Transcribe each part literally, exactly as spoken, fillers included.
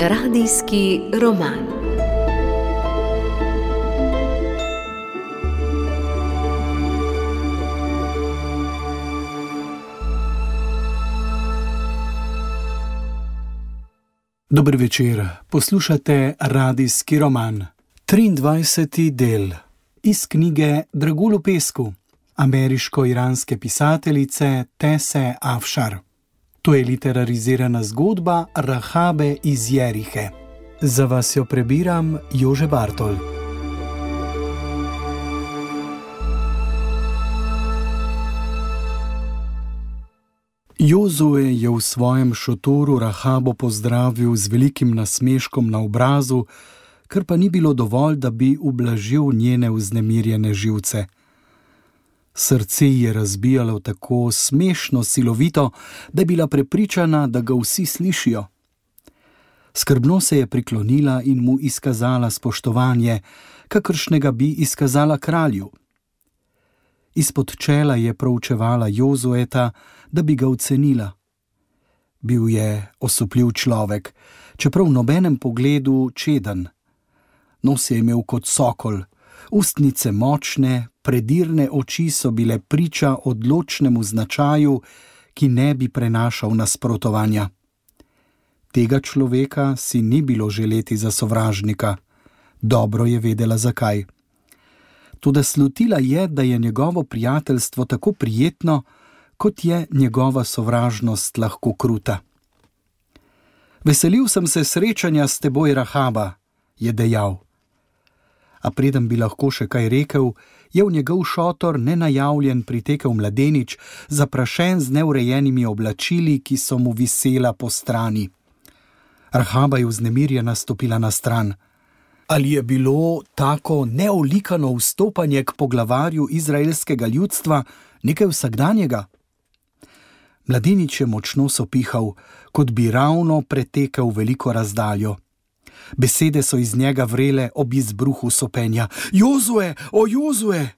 Radijski roman. Dober večer, poslušate Radijski roman. triindvajseti del iz knjige Dragulj v pesku ameriško-iranske pisateljice Tese Afšar. To je literarizirana zgodba Rahabe iz Jerihe. Za vas jo prebiram Jože Bartol. Jozue je v svojem šotoru Rahabo pozdravil z velikim nasmeškom na obrazu, kar pa ni bilo dovolj, da bi ublažil njene vznemirjene živce. Srce ji je razbijalo tako smešno silovito, da je bila prepričana, da ga vsi slišijo. Skrbno se je priklonila in mu izkazala spoštovanje, kakršnega bi izkazala kralju. Izpod čela je proučevala Jozueta, da bi ga ocenila. Bil je osupljiv človek, čeprav v nobenem pogledu čeden. Nos je imel kot sokol, ustnice močne, predirne oči so bile priča odločnemu značaju, ki ne bi prenašal nasprotovanja. Tega človeka si ni bilo želeti za sovražnika. Dobro je vedela zakaj. Toda slutila je, da je njegovo prijateljstvo tako prijetno, kot je njegova sovražnost lahko kruta. Veselil sem se srečanja s teboj, Rahaba, je dejal. A preden bi lahko še kaj rekel, je v njegov šotor nenajavljen pritekel mladenič, zaprašen z neurejenimi oblačili, ki so mu visela po strani. Rahaba je vznemirjena stopila na stran. Ali je bilo tako neolikano vstopanje k poglavarju izraelskega ljudstva nekaj vsakdanjega? Mladenič je močno sopihal, kot bi ravno pretekel veliko razdaljo. Besede so iz njega vrele ob izbruhu sopenja. Jozue, o Jozue!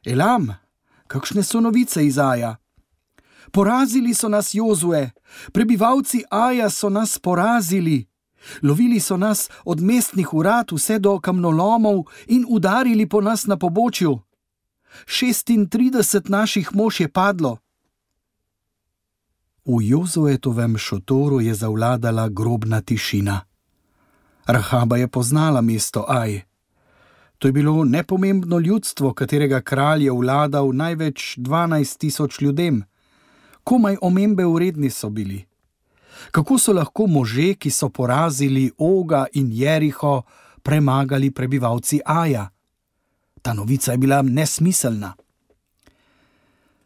Elam, kakšne so novice iz Aja? Porazili so nas, Jozue! Prebivalci Aja so nas porazili! Lovili so nas od mestnih urad vse do kamnolomov in udarili po nas na pobočju. Šestintrideset naših mož je padlo. V Jozuetovem šotoru je zavladala grobna tišina. Rahaba je poznala mesto Aj. To je bilo nepomembno ljudstvo, katerega kralj je vladal največ dvanajst tisoč ljudem. Komaj omembe vredni so bili. Kako so lahko može, ki so porazili Oga in Jeriho, premagali prebivalci Aja? Ta novica je bila nesmiselna.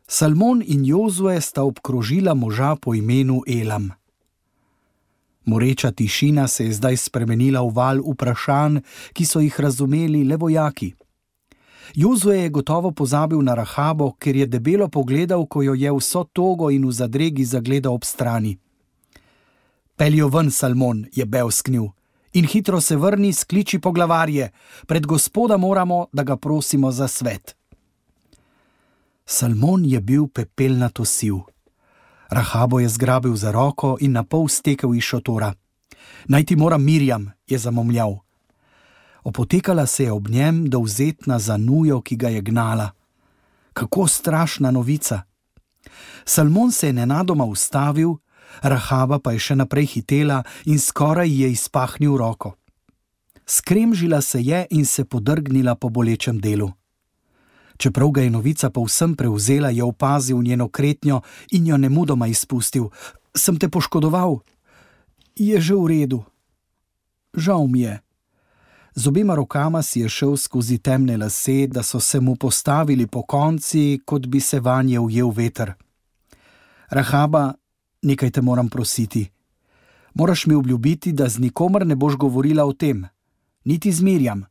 Salmon in Jozue sta obkrožila moža po imenu Elam. Moreča tišina se je zdaj spremenila v val vprašanj, ki so jih razumeli le vojaki. Jozue je gotovo pozabil na Rahabo, ker je debelo pogledal, ko jo je vso togo in v zadregi zagledal ob strani. Peljo ven, Salmon, je bevsknil, in hitro se vrni, skliči poglavarje. Pred gospoda moramo, da ga prosimo za svet. Salmon je bil pepelnato siv. Rahabo je zgrabil za roko in napol stekel iz šotora. Naj ti moram Mirjam, je zamomljal. Opotekala se je ob njem, dovzetna za nujo, ki ga je gnala. Kako strašna novica! Salmon se je nenadoma ustavil, Rahaba pa je še naprej hitela in skoraj je izpahnil roko. Skremžila se je in se podrgnila po bolečem delu. Čeprav ga je novica povsem prevzela, je opazil njeno kretnjo in jo nemudoma izpustil. Sem te poškodoval? Je že v redu. Žal mi je. Z obema rokama si je šel skozi temne lase, da so se mu postavili po konci, kot bi se vanje ujel veter. Rahaba, nekaj te moram prositi. Moraš mi obljubiti, da z nikomer ne boš govorila o tem. Niti z Mirjam.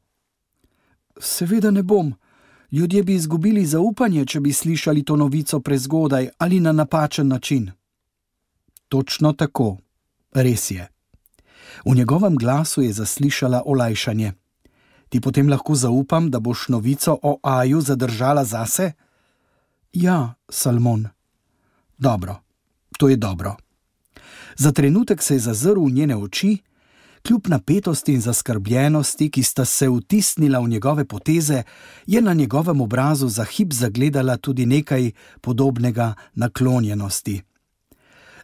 Seveda ne bom. Ljudje bi izgubili zaupanje, če bi slišali to novico prezgodaj ali na napačen način. Točno tako. Res je. V njegovem glasu je zaslišala olajšanje. Ti potem lahko zaupam, da boš novico o Aju zadržala zase? Ja, Salmon. Dobro, to je dobro. Za trenutek se je zazrl v njene oči, Kljub napetosti in zaskrbljenosti, ki sta se vtisnila v njegove poteze, je na njegovem obrazu za hip zagledala tudi nekaj podobnega naklonjenosti.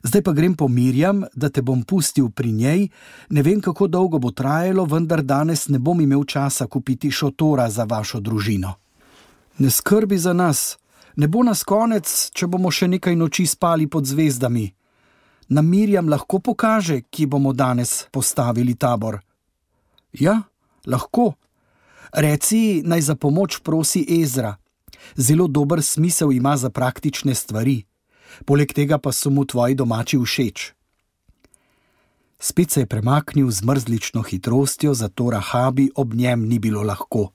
Zdaj pa grem po Mirjam, da te bom pustil pri njej, ne vem, kako dolgo bo trajalo, vendar danes ne bom imel časa kupiti šotora za vašo družino. Ne skrbi za nas, ne bo nas konec, če bomo še nekaj noči spali pod zvezdami. Nam Mirjam lahko pokaže, kje bomo danes postavili tabor. Ja, lahko. Reci, naj za pomoč prosi Ezra. Zelo dober smisel ima za praktične stvari. Poleg tega pa so mu tvoji domači všeč. Spet se je premaknil z mrzlično hitrostjo, zato Rahabi ob njem ni bilo lahko.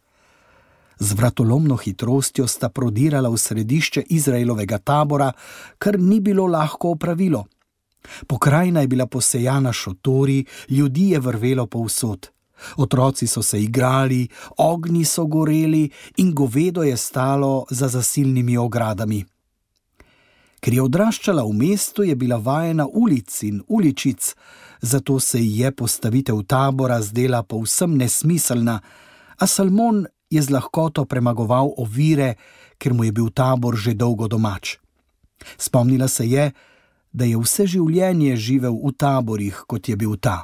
Z vratolomno hitrostjo sta prodirala v središče Izraelovega tabora, kar ni bilo lahko opravilo. Pokrajina je bila posejana šotori, ljudi je vrvelo povsod. Otroci so se igrali, ognji so goreli in govedo je stalo za zasilnimi ogradami. Ker je odraščala v mestu, je bila vajena ulic in uličic, zato se ji je postavitev tabora zdela povsem nesmiselna, a Salmon je z lahkoto premagoval ovire, ker mu je bil tabor že dolgo domač. Spomnila se je, da je vse življenje živel v taborih, kot je bil ta.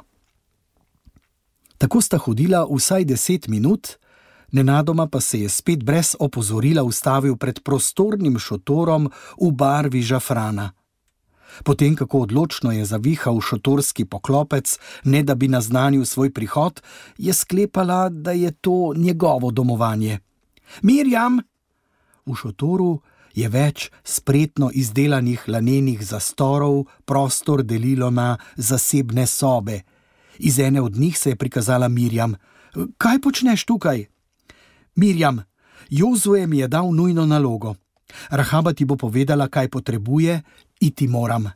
Tako sta hodila vsaj deset minut, nenadoma pa se je spet brez opozorila ustavil pred prostornim šotorom v barvi žafrana. Potem, kako odločno je zavihal šotorski poklopec, ne da bi naznanil svoj prihod, je sklepala, da je to njegovo domovanje. Mirjam! V šotoru je več spretno izdelanih lanenih zastorov, prostor delilo na zasebne sobe. Iz ene od njih se je prikazala Mirjam. Kaj počneš tukaj? Mirjam, Jozue mi je dal nujno nalogo. Rahaba ti bo povedala, kaj potrebuje, iti moram.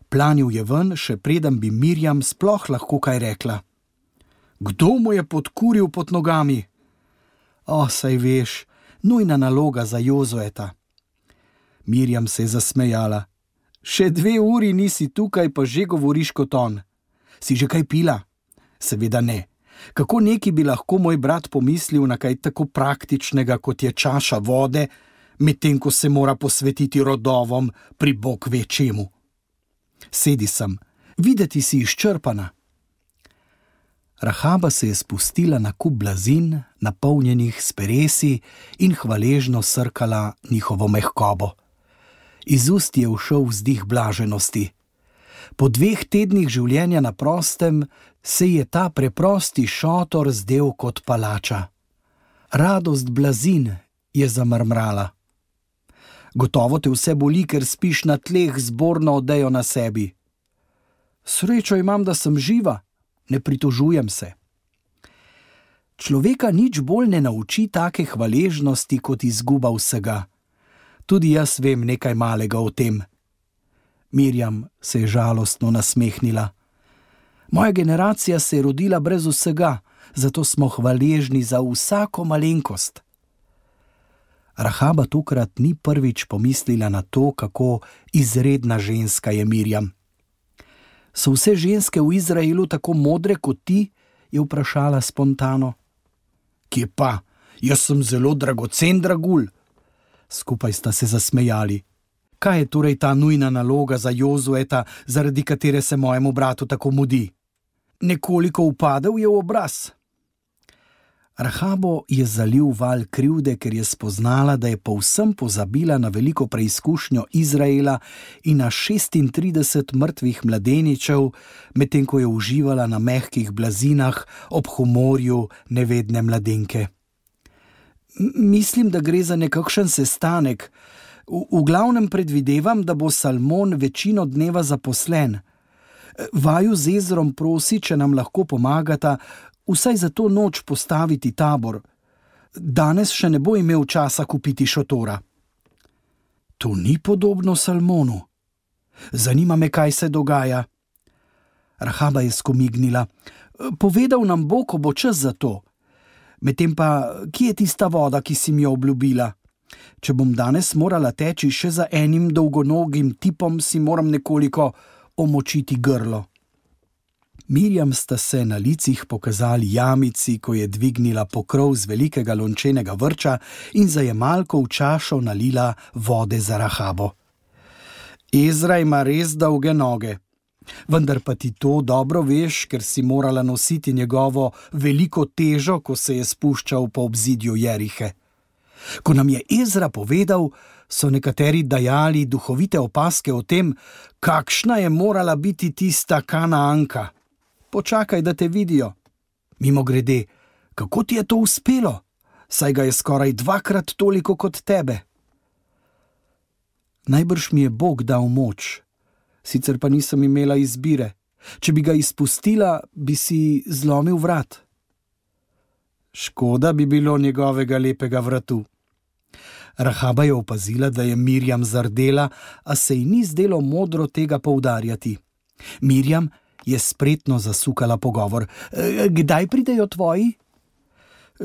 Planil je ven, še preden bi Mirjam sploh lahko kaj rekla. Kdo mu je podkuril pod nogami? O, saj veš, nujna naloga za Jozueta. Mirjam se je zasmejala. Še dve uri nisi tukaj, pa že govoriš kot on. Si že kaj pila? Seveda ne. Kako neki bi lahko moj brat pomislil na kaj tako praktičnega, kot je čaša vode, medtem ko se mora posvetiti rodovom pri bog ve čemu. Sedi sem, videti si izčrpana. Rahaba se je spustila na kup blazin, napolnjenih s peresi, in hvaležno srkala njihovo mehkobo. Iz ust je ušel vzdih blaženosti. Po dveh tednih življenja na prostem se je ta preprosti šotor zdel kot palača. Radost blazin, je zamrmrala. Gotovo te vse boli, ker spiš na tleh z borno odejo na sebi. Srečo imam, da sem živa, ne pritožujem se. Človeka nič bolj ne nauči take hvaležnosti kot izguba vsega. Tudi jaz vem nekaj malega o tem. Mirjam se je žalostno nasmehnila. Moja generacija se je rodila brez vsega, zato smo hvaležni za vsako malenkost. Rahaba tokrat ni prvič pomislila na to, kako izredna ženska je Mirjam. So vse ženske v Izraelu tako modre kot ti? Je vprašala spontano. Kje pa? Jaz sem zelo dragocen dragulj. Skupaj sta se zasmejali. Kaj je torej ta nujna naloga za Jozueta, zaradi katere se mojemu bratu tako mudi? Nekoliko upadel je v obraz. Rahabo je zalil val krivde, ker je spoznala, da je povsem pozabila na veliko preizkušnjo Izraela in na šestintrideset mrtvih mladeničev, medtem ko je uživala na mehkih blazinah ob humorju nevedne mladenke. Mislim, da gre za nekakšen sestanek. V, v glavnem predvidevam, da bo Salmon večino dneva zaposlen. Vaju z Ezrom prosi, če nam lahko pomagata, vsaj za to noč postaviti tabor. Danes še ne bo imel časa kupiti šotora. To ni podobno Salmonu. Zanima me, kaj se dogaja. Rahaba je skomignila. Povedal nam bo, ko bo čas za to. Medtem pa, kje je tista voda, ki si mi jo obljubila? Če bom danes morala teči še za enim dolgonogim tipom, si moram nekoliko omočiti grlo. Mirjam sta se na licih pokazali jamici, ko je dvignila pokrov z velikega lončenega vrča in za jemalko v čašo nalila vode za Rahabo. Ezra ima res dolge noge, vendar pa ti to dobro veš, ker si morala nositi njegovo veliko težo, ko se je spuščal po obzidju Jerihe. Ko nam je Ezra povedal, so nekateri dajali duhovite opazke o tem, kakšna je morala biti tista Kanaanka. Počakaj, da te vidijo. Mimogrede, kako ti je to uspelo? Saj ga je skoraj dvakrat toliko kot tebe. Najbrž mi je Bog dal moč, sicer pa nisem imela izbire. Če bi ga izpustila, bi si zlomil vrat. Škoda bi bilo njegovega lepega vratu. Rahaba je opazila, da je Mirjam zardela, a se ji ni zdelo modro tega poudarjati. Mirjam je spretno zasukala pogovor. Kdaj pridejo tvoji?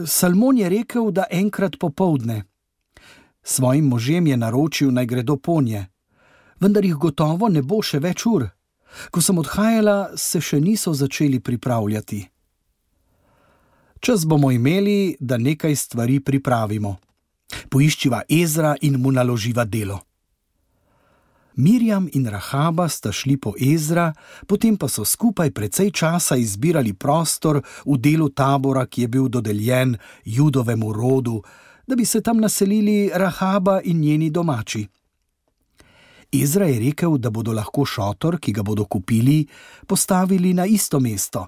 Salmon je rekel, da enkrat popoldne. Svojim možem je naročil, naj gredo ponje, vendar jih gotovo ne bo še več ur. Ko sem odhajala, se še niso začeli pripravljati. Čas bomo imeli, da nekaj stvari pripravimo. Poiščiva Ezra in mu naloživa delo. Mirjam in Rahaba sta šli po Ezra, potem pa so skupaj precej časa izbirali prostor v delu tabora, ki je bil dodeljen Judovemu rodu, da bi se tam naselili Rahaba in njeni domači. Ezra je rekel, da bodo lahko šotor, ki ga bodo kupili, postavili na isto mesto.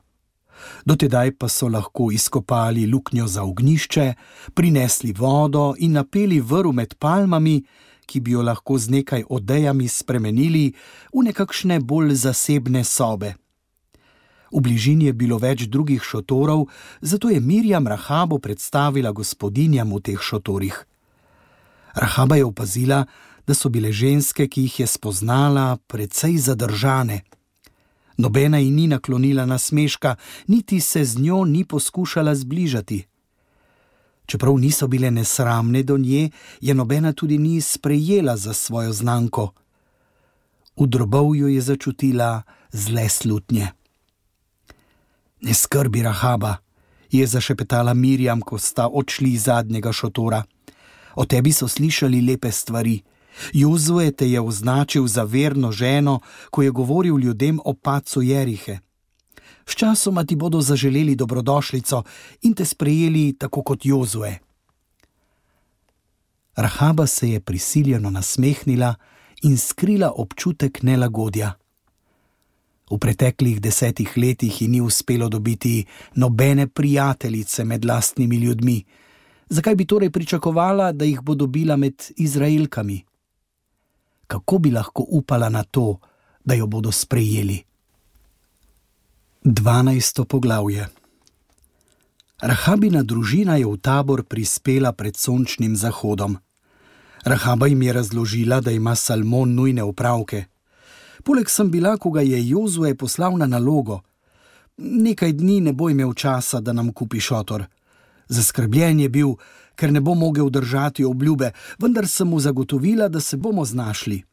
Dotedaj pa so lahko izkopali luknjo za ognjišče, prinesli vodo in napeli vrv med palmami, ki bi jo lahko z nekaj odejami spremenili v nekakšne bolj zasebne sobe. V bližini je bilo več drugih šotorov, zato je Mirjam Rahabo predstavila gospodinjam v teh šotorih. Rahaba je opazila, da so bile ženske, ki jih je spoznala, precej zadržane. Nobena ji ni naklonila nasmeška, niti se z njo ni poskušala zbližati. Čeprav niso bile nesramne do nje, je nobena tudi ni sprejela za svojo znanko. V drobovju je začutila zle slutnje. Ne skrbi, Rahaba, je zašepetala Mirjam, ko sta odšli iz zadnjega šotora. O tebi so slišali lepe stvari. Jozue te je označil za verno ženo, ko je govoril ljudem o padcu Jerihe. Sčasoma ti bodo zaželeli dobrodošlico in te sprejeli tako kot Jozue. Rahaba se je prisiljeno nasmehnila in skrila občutek nelagodja. V preteklih desetih letih ji ni uspelo dobiti nobene prijateljice med lastnimi ljudmi. Zakaj bi torej pričakovala, da jih bo dobila med Izraelkami? Kako bi lahko upala na to, da jo bodo sprejeli? Dvanajsto poglavje. Rahabina družina je v tabor prispela pred sončnim zahodom. Rahaba jim je razložila, da ima Salmon nujne opravke. Poleg sem bila, ko ga je Jozue poslal na nalogo. Nekaj dni ne bo imel časa, da nam kupi šotor. Zaskrbljen je bil, ker ne bo mogel držati obljube, vendar sem mu zagotovila, da se bomo znašli.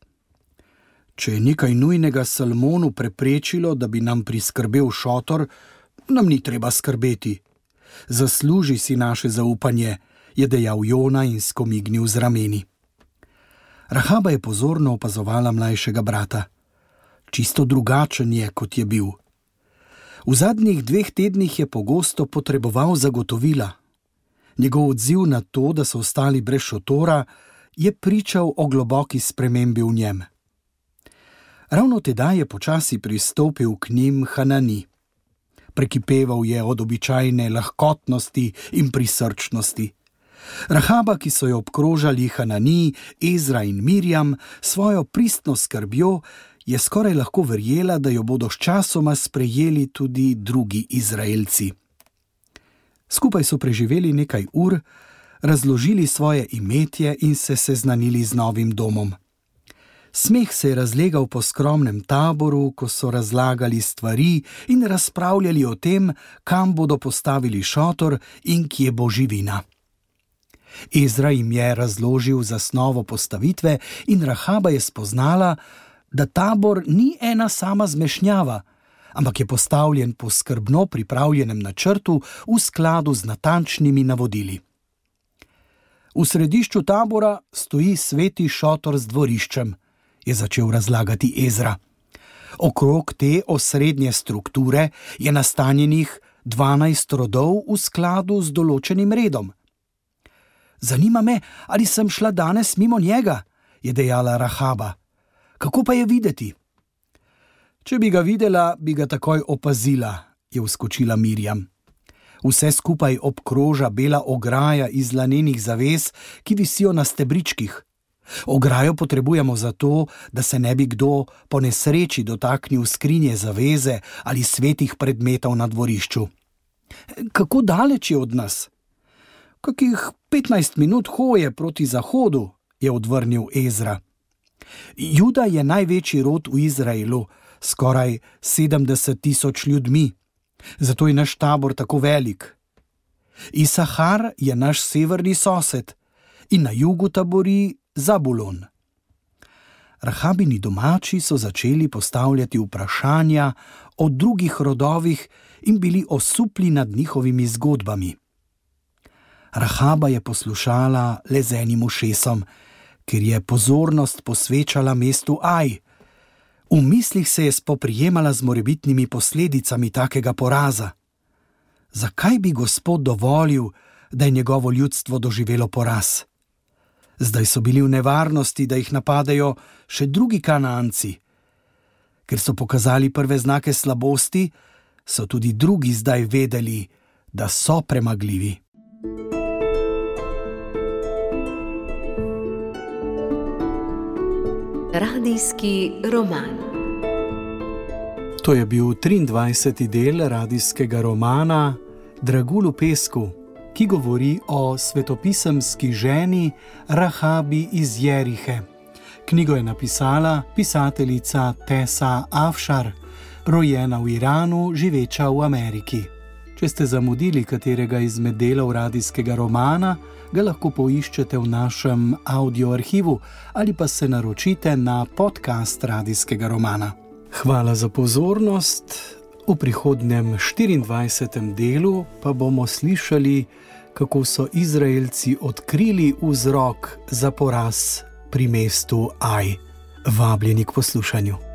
Če je nekaj nujnega Salmonu preprečilo, da bi nam priskrbel šotor, nam ni treba skrbeti. Zasluži si naše zaupanje, je dejal Jona in skomignil z rameni. Rahaba je pozorno opazovala mlajšega brata. Čisto drugačen je, kot je bil. V zadnjih dveh tednih je pogosto potreboval zagotovila. Njegov odziv na to, da so ostali brez šotora, je pričal o globoki spremembi v njem. Ravno tedaj je počasi pristopil k njim Hanani. Prekipeval je od običajne lahkotnosti in prisrčnosti. Rahaba, ki so jo obkrožali Hanani, Ezra in Mirjam, svojo pristno skrbjo, je skoraj lahko verjela, da jo bodo sčasoma sprejeli tudi drugi Izraelci. Skupaj so preživeli nekaj ur, razložili svoje imetje in se seznanili z novim domom. Smeh se je razlegal po skromnem taboru, ko so razlagali stvari in razpravljali o tem, kam bodo postavili šotor in kje bo živina. Ezra jim je razložil zasnovo postavitve in Rahaba je spoznala, da tabor ni ena sama zmešnjava, ampak je postavljen po skrbno pripravljenem načrtu v skladu z natančnimi navodili. V središču tabora stoji sveti šotor z dvoriščem, je začel razlagati Ezra. Okrog te osrednje strukture je nastanjenih dvanajst rodov v skladu z določenim redom. Zanima me, ali sem šla danes mimo njega, je dejala Rahaba. Kako pa je videti? Če bi ga videla, bi ga takoj opazila, je vskočila Mirjam. Vse skupaj obkroža bela ograja iz lanenih zaves, ki visijo na stebričkih. Ograjo potrebujemo zato, da se ne bi kdo po nesreči dotaknil skrinje zaveze ali svetih predmetov na dvorišču. Kako daleč je od nas? Kakih petnajst minut hoje proti zahodu, je odvrnil Ezra. Juda je največji rod v Izraelu, skoraj sedemdeset tisoč ljudmi. Zato je naš tabor tako velik. Isahar je naš severni sosed in na jugu tabori Zabulon. Rahabini domači so začeli postavljati vprašanja o drugih rodovih in bili osupli nad njihovimi zgodbami. Rahaba je poslušala le z enim ušesom, ker je pozornost posvečala mestu Aj. V mislih se je spoprijemala z morebitnimi posledicami takega poraza. Zakaj bi Gospod dovolil, da je njegovo ljudstvo doživelo poraz? Zdaj so bili v nevarnosti, da jih napadajo še drugi Kanaanci. Ker so pokazali prve znake slabosti, so tudi drugi zdaj vedeli, da so premagljivi. Radijski roman. To je bil triindvajseti del radijskega romana Dragulj v pesku, ki govori o svetopisemski ženi Rahabi iz Jerihe. Knjigo je napisala pisateljica Tessa Afshar, rojena v Iranu, živeča v Ameriki. Če ste zamudili katerega izmed delov radijskega romana, ga lahko poiščete v našem audio arhivu ali pa se naročite na podcast radijskega romana. Hvala za pozornost. V prihodnjem štiriindvajsetem delu pa bomo slišali, kako so Izraelci odkrili vzrok za poraz pri mestu Aj. Vabljeni k poslušanju.